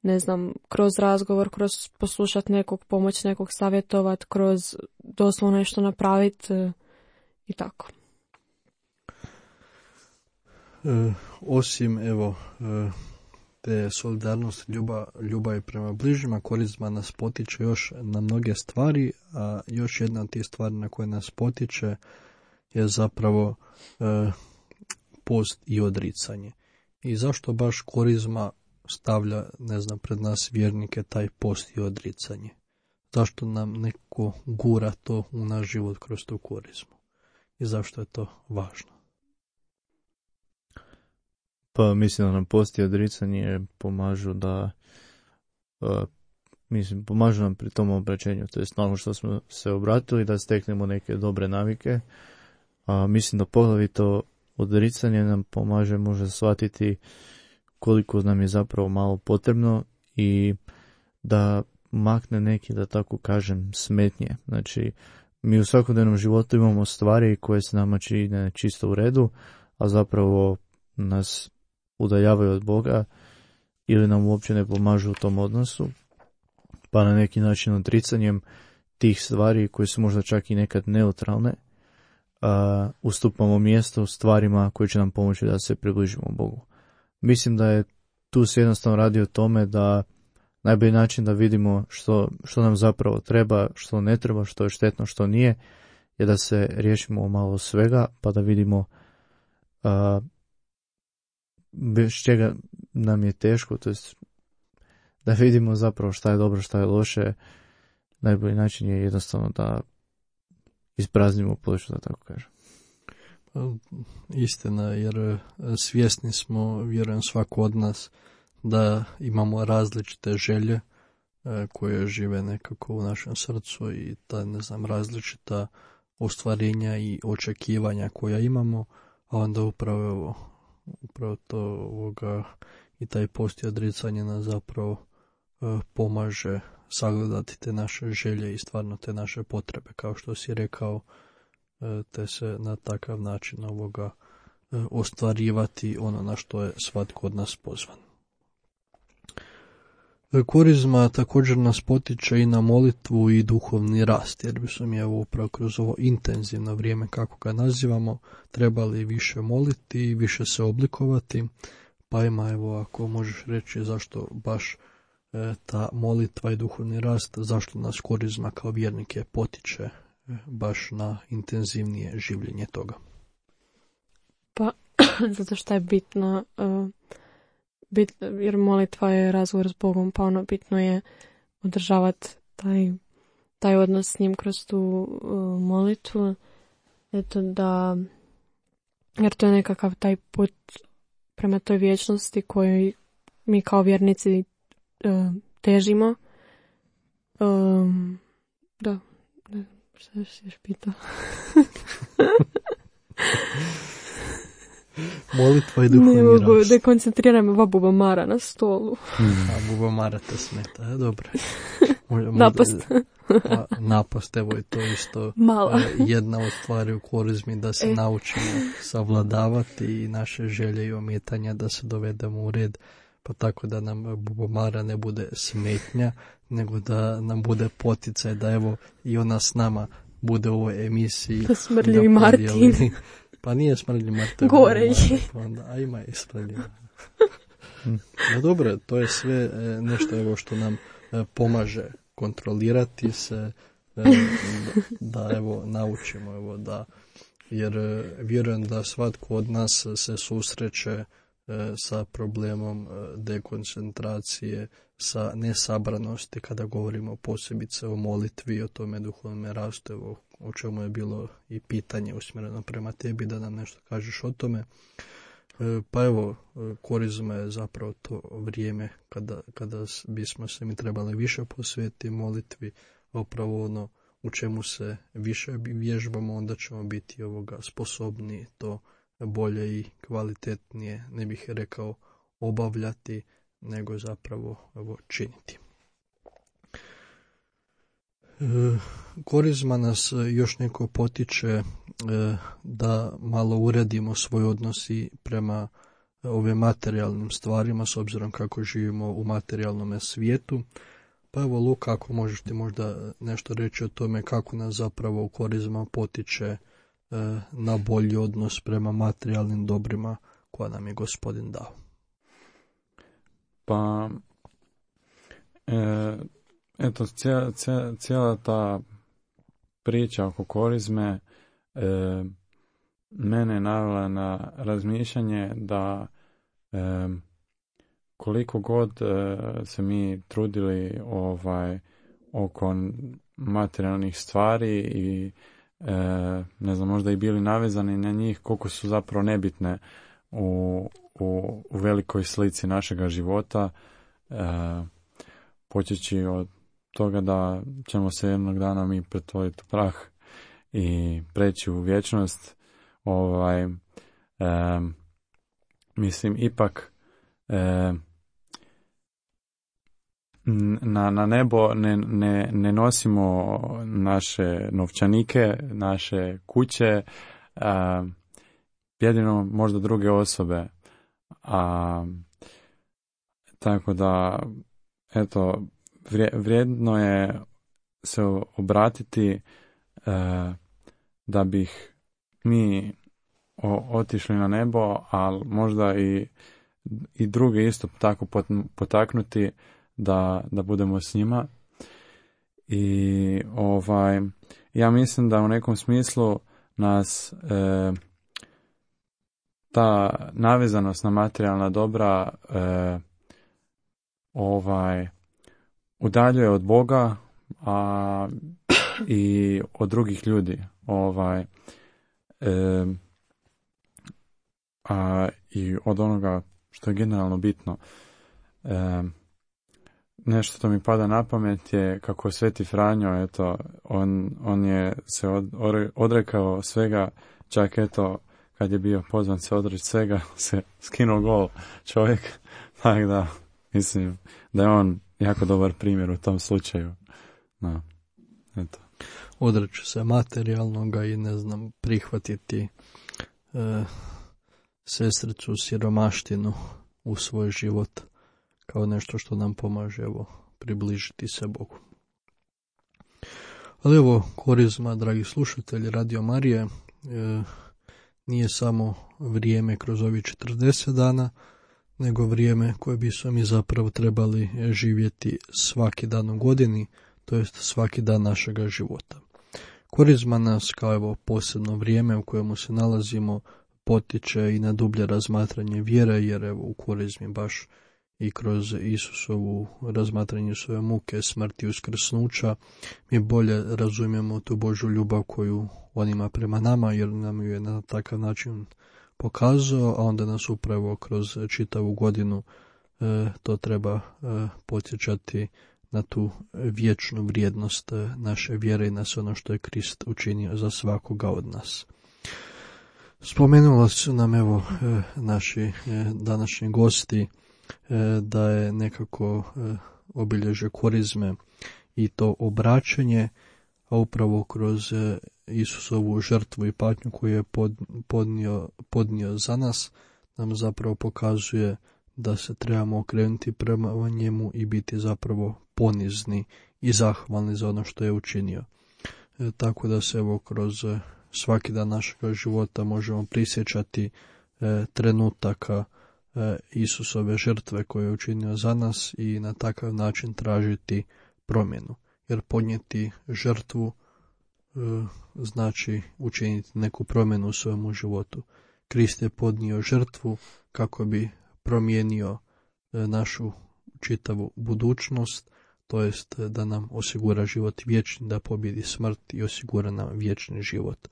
ne znam, kroz razgovor, kroz poslušat nekog, pomoć nekog, savjetovat, kroz doslovno nešto napraviti i tako. E, osim evo e, te solidarnosti, ljubav, ljubavi prema bližnjima, korizma nas potiče još na mnoge stvari, a još jedna od tih stvari na koje nas potiče je zapravo e, post i odricanje. I zašto baš korizma stavlja, ne znam, pred nas vjernike taj post i odricanje? Zašto nam neko gura to u naš život kroz tu korizmu? I zašto je to važno? Pa mislim da nam post i odricanje pomažu da uh, mislim, pomažu nam pri tom obraćenju, to je nakon što smo se obratili da steknemo neke dobre navike. A mislim da poglavito odricanje nam pomaže možda shvatiti koliko nam je zapravo malo potrebno i da makne neki, da tako kažem, smetnje. Znači, mi u svakodnevnom životu imamo stvari koje se nama čine čisto u redu, a zapravo nas udaljavaju od Boga ili nam uopće ne pomažu u tom odnosu, pa na neki način odricanjem tih stvari koje su možda čak i nekad neutralne, uh, ustupamo mjesto stvarima koje će nam pomoći da se približimo Bogu. Mislim da je tu se jednostavno radi o tome da najbolji način da vidimo što, što nam zapravo treba, što ne treba, što je štetno, što nije, je da se riješimo malo svega, pa da vidimo uh, bez čega nam je teško, to jest da vidimo zapravo šta je dobro, šta je loše. Najbolji način je jednostavno da ispraznimo ploču, da tako kažem. Istina, jer svjesni smo, vjerujem svako od nas, da imamo različite želje koje žive nekako u našem srcu i ta, ne znam, različita ostvarenja i očekivanja koja imamo, a onda upravo, upravo to ovoga, i taj post i odricanje nas zapravo pomaže sagledati te naše želje i stvarno te naše potrebe, kao što si rekao, te se na takav način ovoga ostvarivati ono na što je svatko od nas pozvan. Korizma također nas potiče i na molitvu i duhovni rast, jer bi smo mi evo upravo kroz ovo intenzivno vrijeme, kako ga nazivamo, trebali više moliti i više se oblikovati, pa ima evo ako možeš reći zašto baš e, ta molitva i duhovni rast, zašto nas korizma kao vjernike potiče e, baš na intenzivnije življenje toga. Pa, zato što je bitno, uh, bit, jer molitva je razgovor s Bogom, pa ono bitno je održavati taj, taj odnos s njim kroz tu uh, molitvu. Eto da, jer to je nekakav taj put prema toj vječnosti koju mi kao vjernici uh, težimo. Um, da, da, šta si još pitao? Molitva i duhovni rast. Ne mogu, dekoncentriram ova bubamara na stolu. Hmm. A bubamara te smeta, je dobro. Napast. A, napast, evo je to isto Mala. jedna od stvari u korizmi, da se e. naučimo savladavati i naše želje i ometanja, da se dovedemo u red, pa tako da nam bubamara ne bude smetnja, nego da nam bude poticaj, da evo i ona s nama bude u ovoj emisiji. Da smrljivi Martin. Pa nije smrljivi Martin. Gore je. Pa onda, a ima i smrljivi. No dobro, to je sve nešto evo što nam pomaže kontrolirati se, da evo naučimo, evo da, jer vjerujem da svatko od nas se susreće sa problemom dekoncentracije, sa nesabranosti kada govorimo posebice o molitvi, o tome duhovnom rastu, evo, o čemu je bilo i pitanje usmjereno prema tebi, da nam nešto kažeš o tome. Pa evo, korizma je zapravo to vrijeme kada, kada bismo se mi trebali više posvetiti molitvi, a upravo ono u čemu se više vježbamo, onda ćemo biti ovoga sposobni to bolje i kvalitetnije, ne bih rekao obavljati, nego zapravo evo, činiti. E, korizma nas još neko potiče e, da malo uredimo svoj odnos i prema ovim materijalnim stvarima, s obzirom kako živimo u materijalnom svijetu. Pa evo Luka, ako možeš ti možda nešto reći o tome kako nas zapravo u korizma potiče e, na bolji odnos prema materijalnim dobrima koja nam je Gospodin dao. Pa, e, eto, cijela, cijela, cijela ta priča oko korizme e, mene je navela na razmišljanje da e, koliko god e, se mi trudili ovaj oko materijalnih stvari i e, ne znam, možda i bili navezani na njih, koliko su zapravo nebitne u, u, u velikoj slici našega života, e, počeći od toga da ćemo se jednog dana mi pretvoriti u prah i preći u vječnost. Ovaj, e, mislim, ipak e, na, na nebo ne, ne, ne nosimo naše novčanike, naše kuće, a, jedino možda druge osobe. A, tako da, eto, vrijedno je se obratiti a, da bih mi o, otišli na nebo, ali možda i, i druge isto tako potaknuti da, da budemo s njima. I ovaj, ja mislim da u nekom smislu nas e, ta navezanost na materijalna dobra e, ovaj, udaljuje od Boga, a i od drugih ljudi. Ovaj, e, a i od onoga što je generalno bitno. E, Nešto što mi pada na pamet je kako Sveti Franjo, eto, on, on je se od, odrekao svega, čak eto, kad je bio pozvan se odreći svega, se skinuo gol čovjek, tako da, mislim, da je on jako dobar primjer u tom slučaju. No, eto. Odreći se materijalnoga i, ne znam, prihvatiti e, sestricu siromaštinu u svoj život kao nešto što nam pomaže, evo, približiti se Bogu. Ali evo, korizma, dragi slušatelji Radio Marije, e, nije samo vrijeme kroz ovih četrdeset dana, nego vrijeme koje bismo mi zapravo trebali živjeti svaki dan u godini, to jest svaki dan našega života. Korizma nas, kao evo posebno vrijeme u kojemu se nalazimo, potiče i na dublje razmatranje vjere, jer evo u korizmi baš i kroz Isusovu razmatranje svoje muke, smrti i uskrsnuća mi bolje razumijemo tu Božju ljubav koju on ima prema nama, jer nam ju je na takav način pokazao, a onda nas upravo kroz čitavu godinu e, to treba e, podsjećati na tu vječnu vrijednost e, naše vjere i na sve ono što je Krist učinio za svakoga od nas. Spomenula su nam evo e, naši e, današnji gosti da je nekako obilježje korizme i to obraćanje, a upravo kroz Isusovu žrtvu i patnju koju je podnio, podnio za nas, nam zapravo pokazuje da se trebamo okrenuti prema njemu i biti zapravo ponizni i zahvalni za ono što je učinio. E, tako da se evo kroz svaki dan našeg života možemo prisjećati e, trenutaka Isusove žrtve koje je učinio za nas i na takav način tražiti promjenu. Jer podnijeti žrtvu e, znači učiniti neku promjenu u svojemu životu. Krist je podnio žrtvu kako bi promijenio e, našu čitavu budućnost, to jest da nam osigura život vječni, da pobjedi smrt i osigura nam vječni život.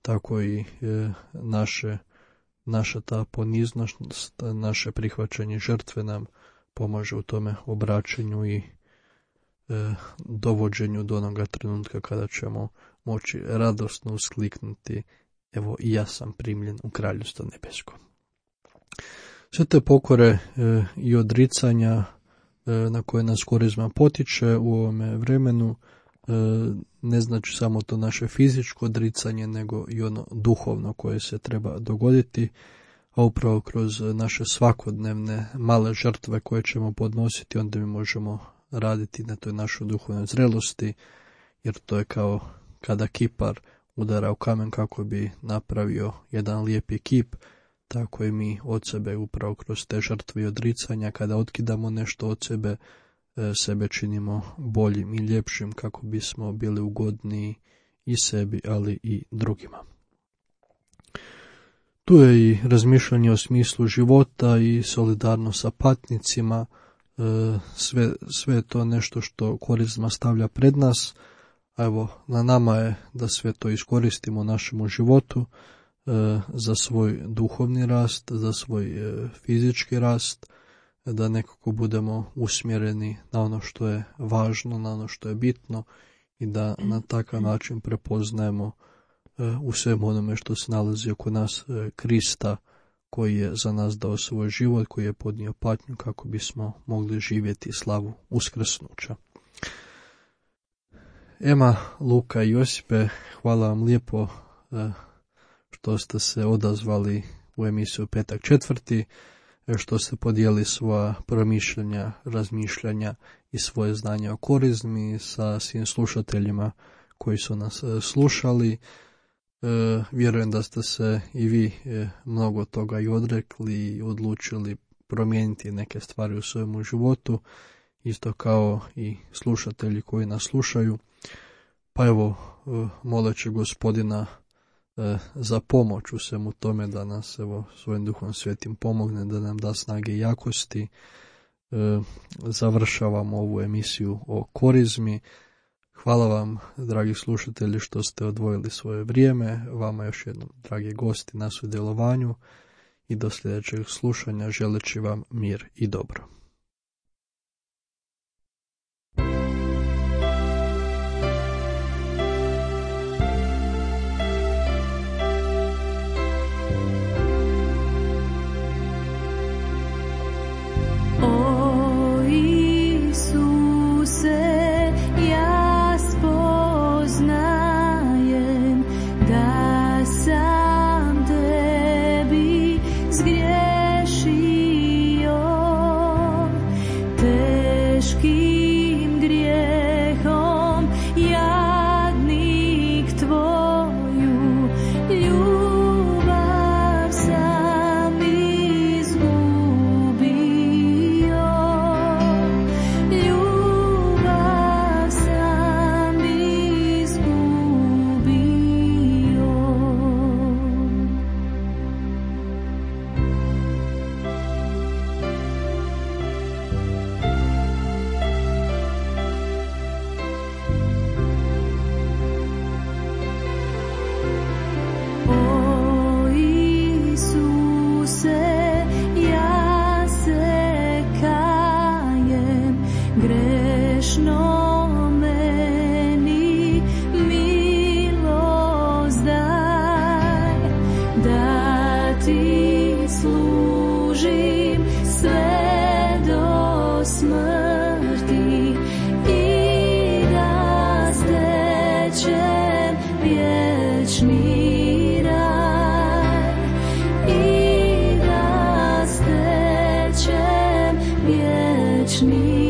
Tako i e, naše Naša ta poniznost, naše prihvaćanje žrtve nam pomaže u tome obraćanju i e, dovođenju do onoga trenutka kada ćemo moći radosno uskliknuti: evo i ja sam primljen u kraljevstvo nebesko. Sve te pokore e, i odricanja e, na koje nas korizma potiče u ovome vremenu e, ne znači samo to naše fizičko odricanje, nego i ono duhovno koje se treba dogoditi, a upravo kroz naše svakodnevne male žrtve koje ćemo podnositi, onda mi možemo raditi na toj našoj duhovnoj zrelosti, jer to je kao kada kipar udara u kamen kako bi napravio jedan lijepi kip, tako i mi od sebe upravo kroz te žrtve i odricanja, kada otkidamo nešto od sebe, sebe činimo boljim i ljepšim kako bismo bili ugodniji i sebi, ali i drugima. Tu je i razmišljanje o smislu života i solidarnost sa patnicima, sve, sve je to nešto što Korizma stavlja pred nas, a evo na nama je da sve to iskoristimo u našemu životu za svoj duhovni rast, za svoj fizički rast, da nekako budemo usmjereni na ono što je važno, na ono što je bitno i da na takav način prepoznajemo u svemu onome što se nalazi oko nas Krista, koji je za nas dao svoj život, koji je podnio patnju kako bismo mogli živjeti slavu uskrsnuća. Ema, Luka i Josipe, hvala vam lijepo što ste se odazvali u emisiju Petak četvrti, što ste podijeli svoja promišljanja, razmišljanja i svoje znanje o Korizmi sa svim slušateljima koji su nas slušali. E, vjerujem da ste se i vi e, mnogo toga i odrekli i odlučili promijeniti neke stvari u svojemu životu, isto kao i slušatelji koji nas slušaju. Pa evo, e, moleći Gospodina e, za pomoć u svemu tome, da nas evo svojim Duhom Svetim pomogne, da nam da snage i jakosti. E, završavamo ovu emisiju o Korizmi. Hvala vam, dragi slušatelji, što ste odvojili svoje vrijeme. Vama još jednom, dragi gosti, na sudjelovanju i do sljedećeg slušanja želeći vam mir i dobro. O Isuse, ja spoznajem da sam tebi zgriješio, teškim grijehom jadnik tvoju ljubav sam izgubio, ljubav sam izgubio. O Isuse, ja se kajem, grešno meni milost daj, da ti služim sve do smrti i da stečem vječni raj, i da stečem vječni